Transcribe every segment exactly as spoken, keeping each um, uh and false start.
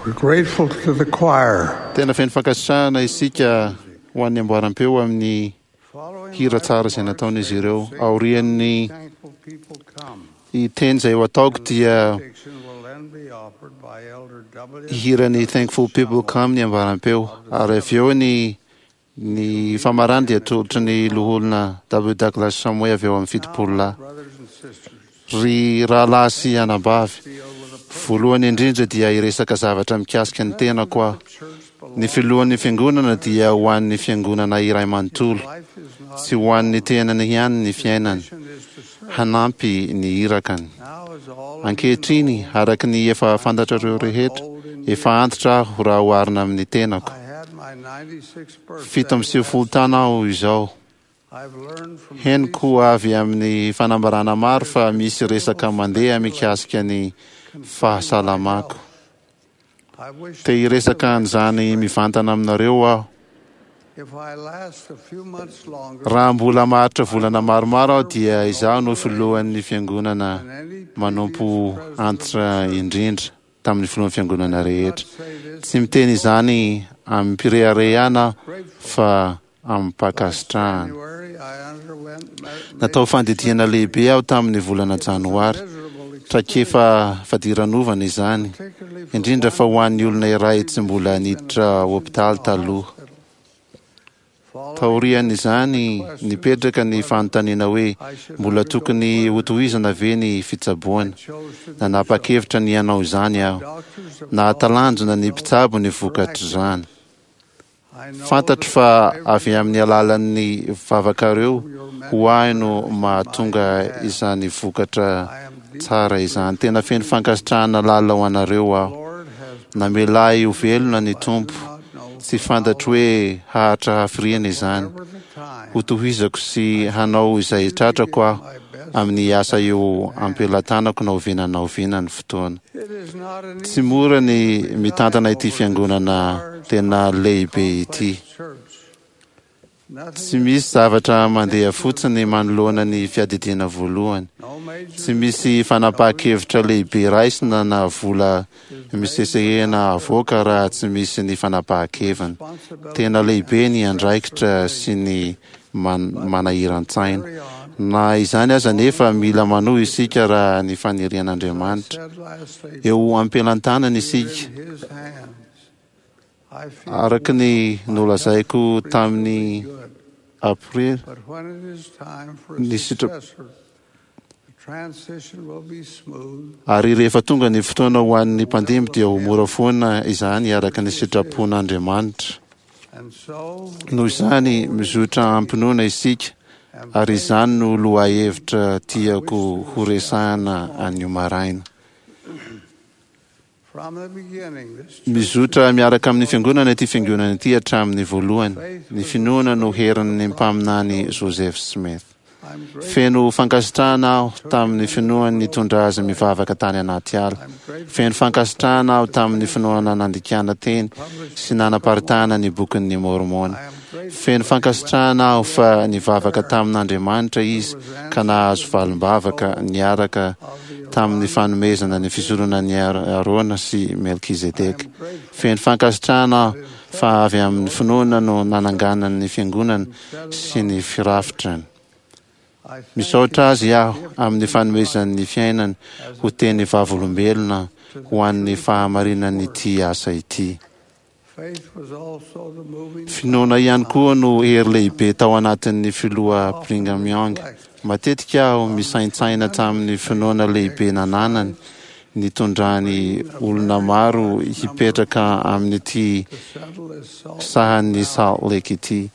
We're grateful to the choir. Tena feno fankasitrahana isika ho an'ny amboaram-peo amin'ny hira tsara izay nataon'izy ireo. Aorian'ny Thankful people come. teny izay ho ataoko dia Benediction will then be offered by Elder W. hihira ny Thankful People Come ny amboaram-peo. Ary avy eo ny ny famarana dia atolotry ny loholona W. Douglas Shumway avy eo amin'ny fitopolo lahy. Brothers and sisters, Ry rahalahy sy anabavy, deal with a voalohany indrindra dia hiresaka zavatra mikasika ny tenako aho. church Ny filohan'ny fiangonana dia ho an'ny fiangonana iray manontolo, life is not tsy ho an'ny tenany ihany ny fiainany, mission is to serve. hanampy ny irakany. Now as all of you Ankehitriny, araka ny efa fantatrareo rehetra, efa antitra aho raha oharina amin'ny tenako. I had my ninety-sixth birthday. Fito amby sivifolo taona aho izao. I've learned from Henoko avy amin'ny fanambarana maro fa misy resaka mandeha mikasika ny fahasalamako. I wish Te hiresaka an'izany mivantana aminareo aho. if I last a few months longer Raha mbola maharitra volana maromaro aho dia izaho no filohan'ny fiangonana than any manompo previous antitra indrindra tamin'ny filohan'ny fiangonana rehetra. say this Tsy miteny izany amim-pireharehana aho fa amim-pankasitrahana. January I underwent ma- Natao fandidiana lehibe aho tamin'ny volana janoary. miserable Traikefa fadiranovana izany, particularly for indrindra fa ho an'ny olona iray tsy mbola niditra hopitaly taloha. Taorian'izany, nipetraka ny fanontaniana hoe mbola tokony hotohizana ve ny fitsaboana. chose to Nanapa-kevitra ny hanao izany aho. doctors have Nahatalanjona ny mpitsabo ny vokatr'izany. I know Fantatro fa avy amin'ny alalan'ny vavakareo ho ahy no mahatonga izany vokatra I am deeply tsara izany. Tena feno fankasitrahana lalina ho anareo aho. Lord has Namela ahy ho velona ny Tompo. not know Tsy fantatro hoe haharitra hafiriana izany. over the time Ho tohizako sy hanao izay tratrako aho amin'ny asa eo am-pelatanako na oviana na oviana ny fotoana. it is not an Tsy mora ny mitantana ity fiangonana tena lehibe ity. church. Nothing Tsy misy zavatra mandeha fotsiny manoloana ny fiadidiana voalohany. no major Tsy misy fanapahan-kevitra lehibe raisina na vola misesehena avoaka raha tsy misy ny fanapahan-keviny. Tena lehibe ny andraikitra sy ny man- manahiran-tsaina. Na izany aza nefa mila manohy isika raha ny fanirian'Andriamanitra. said last April Eo am-pelantanana isika, in his hands. I feel araka ny nolazaiko tamin'ny good. aprily. But when it is time for a Ny sitra- successor, the transition will be smooth. Ary rehefa tonga ny fotoana ho an'ny mpandimby dia ho mora foana izany araka ny sitrapon'Andriamanitra. And so Noho izany, mizotra am-pinoana isika, and ary izany no lohahevitra tiako horesahana anio maraina. from the beginning, this church Mizotra miaraka amin'ny fiangonana ity fiangonana ity hatramin'ny voalohany. Ny finoana no herin'ny mpaminany Joseph Smith. I'm grateful. Feno fankasitrahana aho tamin'ny finoany nitondra azy mivavaka tany anaty ala. I'm grateful Feno fankasitrahana aho tamin'ny finoana nandikana teny sy nanaparitahana ny bokin'ny Mormona. I am grateful Feno fankasitrahana aho fa nivavaka tamin'Andriamanitra izy ka nahazo valim-bavaka niaraka tamin'ny fanomezana ny fisoronana ny Arona sy Melkizedeka. Feno fankasitrahana aho fa avy amin'ny finoana no nananganany ny fiangonana sy ny firafitrany. I thank Misaotra azy aho amin'ny fanomezany ny fiainany ho teny vavolombelona ho an'ny fahamarinan'ity asa ity. faith was also the moving Finoana ihany koa no hery lehibe tao anatin'ny filoha Brigham Young. Matetika aho misaintsaina tamin'ny finoana lehibe nananany nitondrany olona maro hipetraka amin'ity to settle this salt. sahan'ny Salt Lake ity.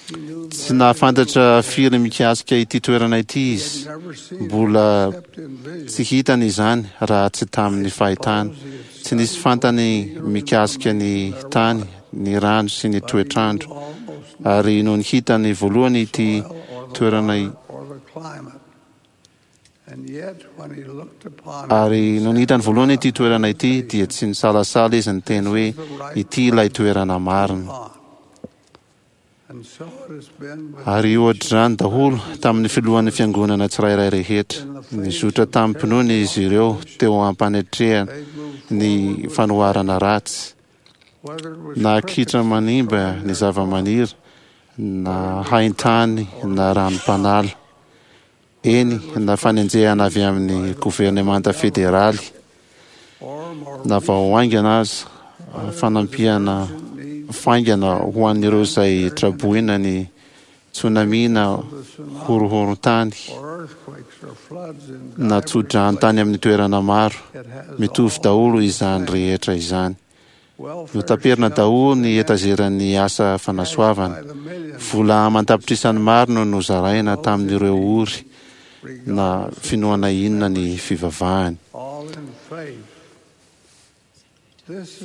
He knew Tsy nahafantatra firy mikasika ity toerana ity izy. never seen Mbola except in vision. tsy hitany izany raha tsy tamin'ny fahitana. Tsy nisy fantany mikasika ny tany, ny rano sy ny toetrandro. Almost Ary nony hitany voalohany ity soil or the toerana water or the climate. And yet when he looked upon it, ary nony hitany voalohany ity toerana ity dia tsy nisalasala izy niteny hoe ity ilay toerana marina. on. Ary ohatr'izany daholo tamin'ny filohan'ny fiangonana tsirairay rehetra. Nizotra tamim-pinoana izy ireo teo am-panatrehana ny fanoharana ratsy, na kitra manimba ny zava-maniry, na haintany, na ranom-panala, eny, na fanenjehana avy amin'ny governemanta federaly, na vao haingana aza fanampiana faingana ho an'ireo izay traboina ny tsunami na horohoron-tany na tsodrano tany amin'ny toerana maro. Mitovy daholo izany rehetra izany. Notaperina daholo ny etazeran'ny asa fanasoavana. Vola aman-tapitrisany maro no nozaraina tamin'ireo ory na finoana inona ny fivavahany.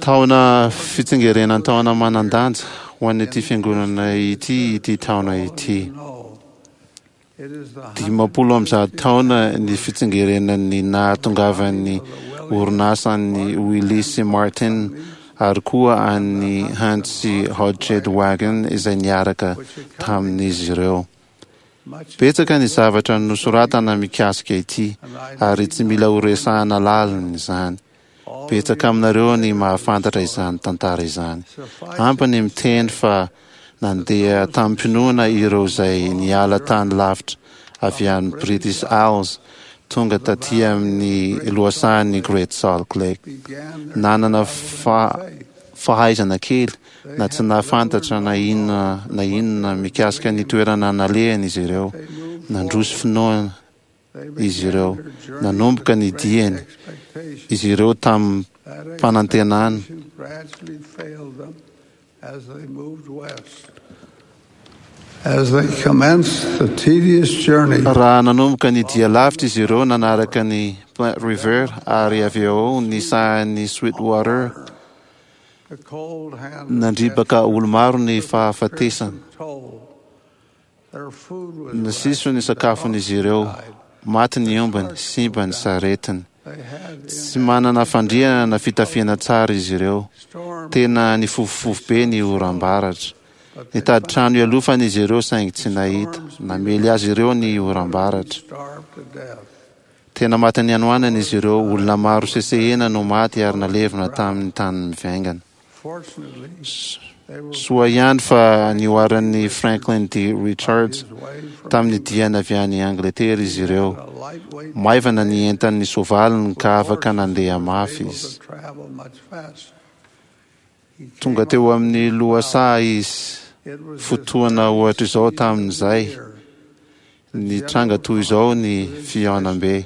Taona fitsingerenan-taona manan-danja ho an'ity fiangonana ity ity taona ity. Dimampolo amby zato taona ny fitsingerenan'ny nahatongavan'ny orinasan'ny Willis sy Martin ary koa an'ny Hunt sy Hodgson Wagon izay niaraka tamin'izy ireo. Betsaka ny zavatra nosoratana mikasika ity ary tsy mila horesahana lalina izany. Betsaka aminareo ny mahafantatra izany tantara izany. Ampy ny miteny fa nandeha tamim-pinoana ireo izay niala tany lavitra avy any British Isles tonga taty amin'ny lohasahan'ny Great Salt Lake. Nanana fa fahaizana kely na tsy nahafantatra na inona na inona mikasika ny toerana nalehany izy ireo. Nandroso finoana izy ireo. Nanomboka ny diany izy ireo tamim-panantenana. As they commenced the tedious journey, Raha nanomboka ny dia lavitra izy ireo nanaraka ny Platte River ary avy eo ny sahan'ny Sweetwater, the cold hand nandripaka olo-maro ny fahafatesana. toll. Their food was Nasiso ny sakafon'izy ireo, maty ny ombany, simba ny saretiny. they had Tsy manana fandriana na fitafiana tsara izy ireo. storm Tena nifofofofo be ny oram-baratra. Nitady trano ialofana izy ireo saingy tsy nahita. Namely azy ireo ny oram-baratra. starved to death. Tena maty ny hanoanana izy ireo, olona maro sesehena no maty ary nalevina tamin'ny tany mivaingana. Fortunately, they were Soa ihany fa nihoaran'ny Franklin D. Richards his way from tamin'ny diany avy any Angletera izy ireo. a lightweight Maivana ny entan'ny soavaliny ka afaka nandeha mafy able izy. to travel much faster. He Tonga came teo amin'ny lohasaha izy. It was Fotoana ohatr'izao tamin'izay year ny tranga toy izao ny fihaonambe.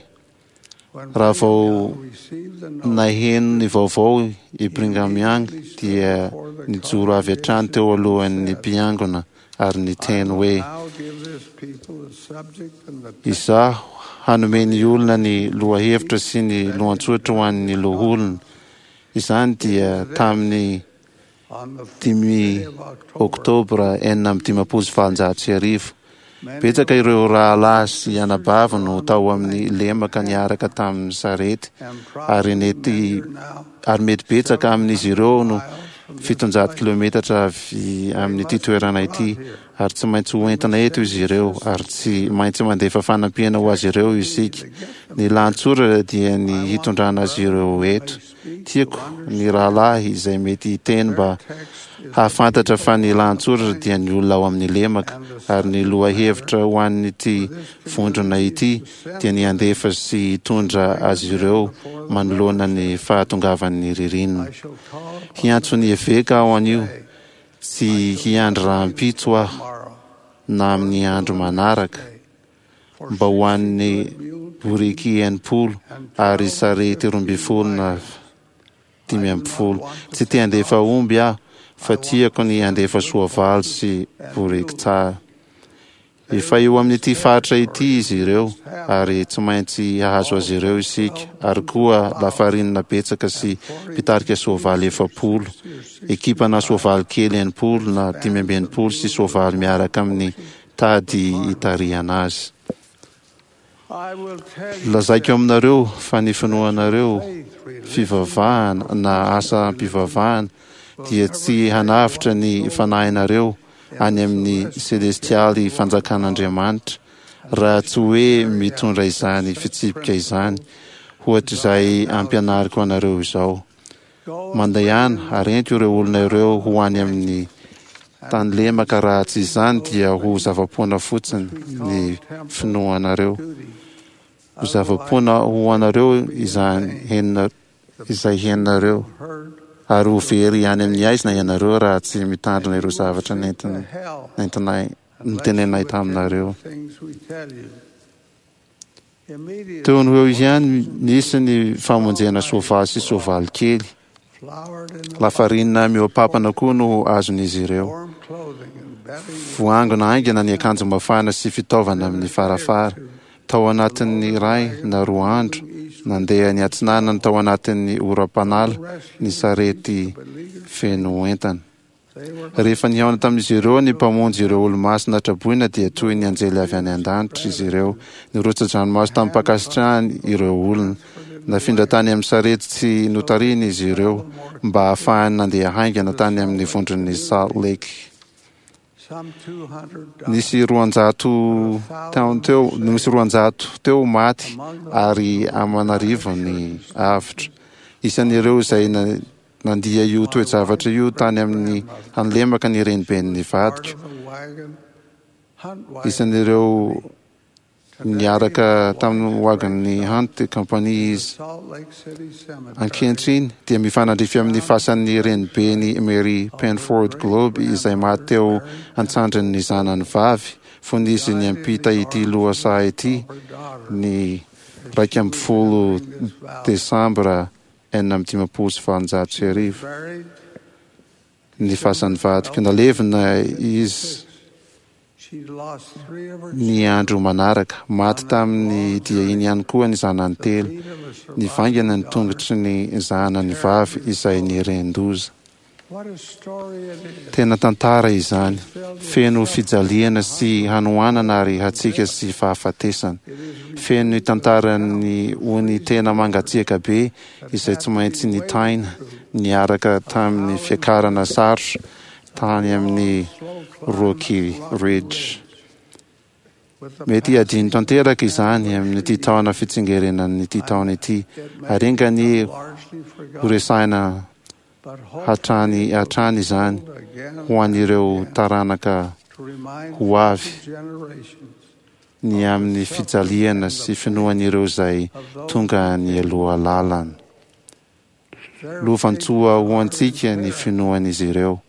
when Raha vao Brigham received the note naheno ny vaovao i Brigham Young dia nijoro avy hatrany teo alohan'ny mpiangona ary niteny hoe now give this people the subject and the izaho hanome ny olona ny lohahevitra sy ny lohantsotra ho an'ny loholona. Izany dia tamin'ny on the dimy day of October, oktobra enina amby dimampolo sy valonjato sy arivo. many Betsaka ireo rahalahy sy anabavy no tao amin'ny lemaka niaraka tamin'ny sarety and ary nety now ary mety betsaka amin'izy ireo no fitonjato kilometatra avy amin'ity toerana ity ary tsy maintsy hoentina eto izy ireo ary tsy maintsy mandefa fanampiana ho azy ireo isika. Ny lahatsoratra dia ny hitondrana azy ireo eto. Tiako ny rahalahy izay mety hiteny mba hahafantatra fa ny lahatsoratra dia ny olona ao amin'ny lemaka ary ny lohahevitra ho an'ity vondrona ity dia ny handefa sy hitondra azy ireo manoloana ny fahatongavan'ny ririnina. I shall call upon Hiantso ny eveka aho anio, tsy hiandry rahampitso aho tomorrow na amin'ny andro manaraka mba ho an'ny boriky enimpolo ary sarety roa ambin'ny folo na dimy ambin'ny folo. Tsy te handefa omby aho fa tiako ny handefa soavaly sy boriky tsara. Efa eo amin'ity faritra ity izy ireo ary tsy maintsy hahazo azy ireo isika ary koa lafarinina betsaka sy mpitarika soavaly efapolo, ekipana soavaly kely enimpolo na dimy amby enimpolo sy soavaly miaraka amin'ny tady hitarihana azy. I will tell you Lazaiko aminareo fa ny finoanareo faith, religion, fivavahana na asam-pivavahana dia tsy hanavotra ny fanahinareo any amin'ny selestialy fanjakan'Andriamanitra raha tsy hoe mitondra izany fitsipika izany ohatr'izay ampianariko anareo izao. Mandehana ary ento ireo olona ireo ho any amin'ny tany lemaka, raha tsy izany dia ho zava-poana fotsiny ny finoanareo. Ho zava-poana ho anareo izany henona izay henonareo, ary ho very any amin'ny aizina ianareo raha tsy mitandrina ireo zavatra nentin nentinay notenenay taminareo. Teo no eo ihany nisy ny famonjena soavaly sy soavaly kely. Lafarinina mihoa-pampana koa no azon'izy ireo. Voangona haingana ny akanjo mafana sy fitaovana amin'ny farafara. Tao anatin'ny iray na roa andro, nandeha niatsinanana tao anatin'ny oram-panala ny sarety feno entana. Rehefa nihaona tamin'izy ireo ny Mpamonjy ireo olomasina traboina dia toy ny anjely avy any an-danitra izy ireo. Nirotsa-dranomaso tamim-pankasitrahany ireo olona. Nafindra tany amin'ny sarety tsy notarihina izy ireo mba hahafahany nandeha haingana tany amin'ny vondron'ny Salt Lake. Nisy roanjato teo nisy roanjato teo maty ary aman'arivony avotra. Isan'ireo izay nandia io toe-javatra io tany amin'ny tany lemaka ny reniben'ny vadiko. Isan'ireo niaraka tamin'ny wagon'ny Hunt Company izy. Ankehitriny dia mifanandrify amin'ny fasan'ny renibeny Mary Penford Globe izay maty teo an-tsandrin'ny zanany vavy fony izy niampita ity lohasaha ity ny iraika ambin'ny folo desambra enina amby dimampolo sy valonjato sy arivo. Ny fasan'ny vadiko. Nalevina izy ny andro manaraka. Maty tamin'ny dia iny ihany koa ny zanany telo. Nivaingana ny tongotry ny zanany vavy izay nieren-doza. Tena tantara izany, feno fijaliana sy hanoanana ary hatsiaka sy fahafatesana. Feno ny tantaran'ny ony tena mangatsiaka be izay tsy maintsy nitaina niaraka tamin'ny fiakarana sarotra tany amin'ny Rocky Ridge. Mety hadino tanteraka izany amin'ity taona fitsingerenan'ity taona ity, ary enga anie horesahina hatrany hatrany izany ho an'ireo taranaka ho avy ny amin'ny fijaliana sy finoan'ireo izay tonga nialoha lalana. Lovantsòa ho antsika ny finoan'izy ireo.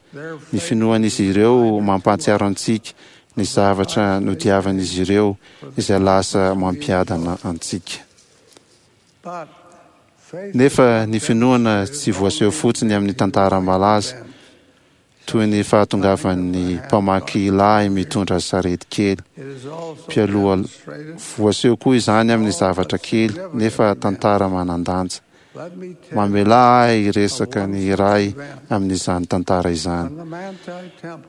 Ny finoan'izy ireo mampahatsiaro antsika ny zavatra nodiavin'izy ireo izay lasa mampiadana antsika. Nefa ny finoana tsy voaseho fotsiny amin'ny tantara malaza, toy ny fahatongavan'ny mpamaky lahy mitondra sarety kely mpialoha. Voaseho koa izany amin'ny zavatra kely nefa tantara manan-danja. Mamelà ahy hiresaka ny iray amin'izany tantara izany.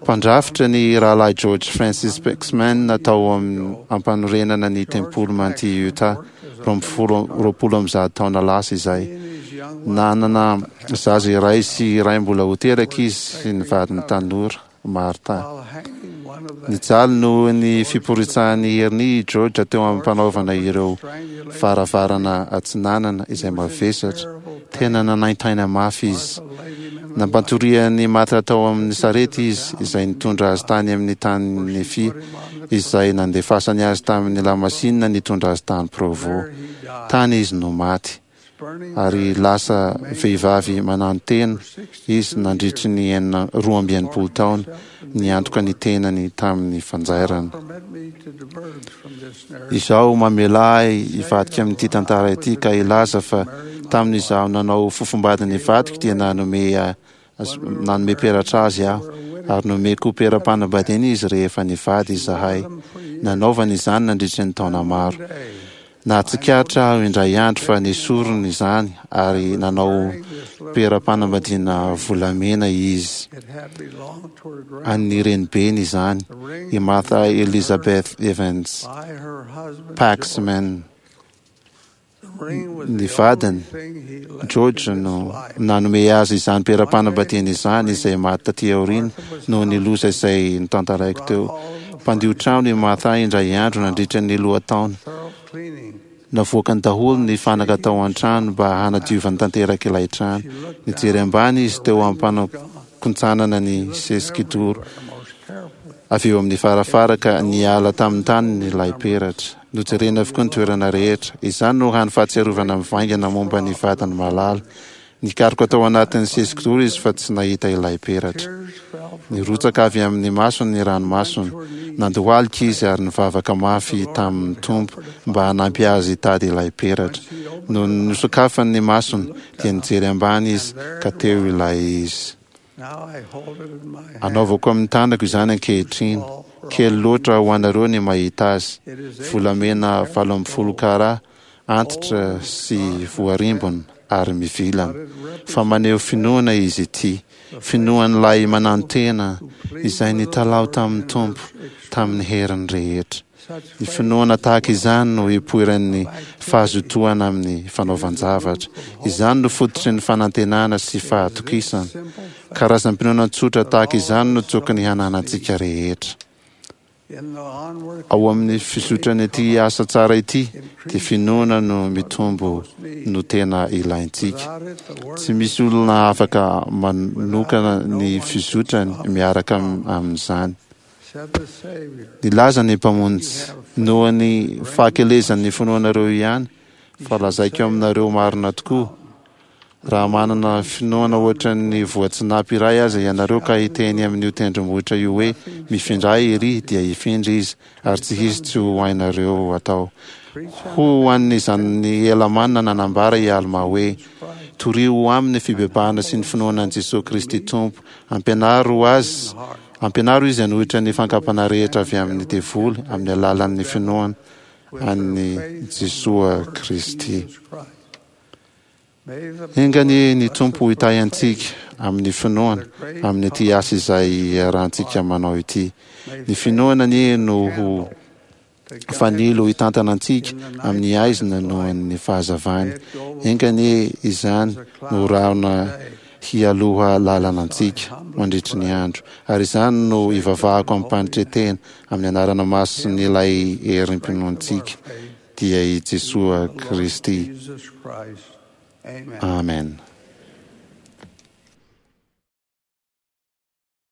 Mpandrafitra ny rahalahy George Francis Paxman tao am-panorenana ny tempoly Manti Utah, roa amby folo roapolo amby zato taona lasa izay. Nanana zaza iray sy iray mbola ho teraka izy sy ny vadiny tanora, Martha. Nijaly noho ny fiporitsahan'ny heriny i George teo am-panaovana ireo varavarana atsinanana izay mavesatra. Tena nanaintaina mafy izy. Nampantorian'i Martha tao amin'ny sarety izy, izay nitondra azy tany amin'ny tanin'i Nefia, izay nandefasany azy tamin'ny lamasinina nitondra azy tany Provo. Tany izy no maty. Ary lasa vehivavy mananotena izy nandritry ny enina roa amby enimpolo taona, niantoka ny tenany tamin'ny fanjairana. Izao mamelà ahy hivadika amin'ity tantara ity ka hilaza fa tamin'izaho nanao fofombady ny vadiko dia nanome nanome peratra azy aho, ary nomeko pera-panambadiana izy rehefa nivady izahay. Nanaovany izany nandritry ny taona maro. Nahatsikaritra aho indray andro fa nesoriny izany ary nanao pera-panambadiana volamena izy. An'ny renibeny izany, i Martha Elizabeth Evans Paxman. Ny vadiny George no nanome azy izany peram-panambadiana izany, izay maty taty aoriana noho ny loza izay notantaraiko teo. Mpandio trano i Martha indray andro nandritra ny lohataona. Navoakany daholo ny fanaka tao an-trano mba hanadiovany tanteraka ilay trano. Nijery ambany izy teo am-panakontsanana ny sesi-kidoro avy eo amin'ny farafara ka niala tamin'ny taniny ilay peratra. Nojerena avokoa ny toerana rehetra. Izany no hany fahatsiarovana mivaingana momba ny vadiny malala. Nikaroka tao anatin'ny sesi-kidoro izy fa tsy nahita ilay peratra. Nirotsaka avy amin'ny masony ny ranomasony. Nandohalika izy ary nivavaka mafy tamin'ny Tompo mba hanampy azy hitady ilay peratra. Nony nosokafany ny masony dia nijery ambany izy ka teo ilay izy. Anaovako amin'ny tanako izany ankehitriny. Kely loatra ho anareo ny mahita azy. Volamena valo ambin'ny folo kara, antitra sy voarimbona ary mivilana. Fa maneho finoana izy ity. Finoan'ilay manantena izay nitalaho tamin'ny Tompo tamin'ny heriny rehetra. Ny finoana tahaka izany no ipoiran'ny fahazotoana amin'ny fanaovan-javatra. Izany no fototry ny fanantenana sy fahatokisana. Karazam-pinoana tsotra tahaka izany no tokony hananantsika rehetra. Ao amin'ny fizotran'ity asa tsara ity dia finoana no mitombo no tena ilaintsika. Tsy misy olona afaka manokana ny fizotrany miaraka amin'izany. Nilaza ny Mpamonjy, noho ny fahakelezan'ny finoanareo ihany, fa lazaiko aminareo marina tokoa, raha manana finoana ohatran'ny voatsinapy iray aza ianareo ka hiteny amin'io tendrombohitra io hoe mifindra ery, dia hifindra izy, ary tsy hisy tsy ho hainareo atao. Ho an'izany Helamàna nanambara i Almà hoe, torio aminy fibebahana sy ny finoana an'i Jesoa Kristy Tompo, ampianaro azy, ampianaro izy hanohitra ny fankapana rehetra avy amin'ny devoly amin'ny alalan'ny finoana an'i Jesoa Kristy. Enga anie ny Tompo hitahy antsika amin'ny finoana amin'ity asa izay iarahantsika manao ity. Ny finoana anie no ho fanilo hitantana antsika amin'ny haizina noho ny fahazavany. Enga anie izany no rahona hialoha lalana antsika mandritry ny andro. Ary izany no ivavahako amim-panetren-tena amin'ny anarana masin'ilay herim-pinoantsika, dia i Jesoa Kristy. Amen.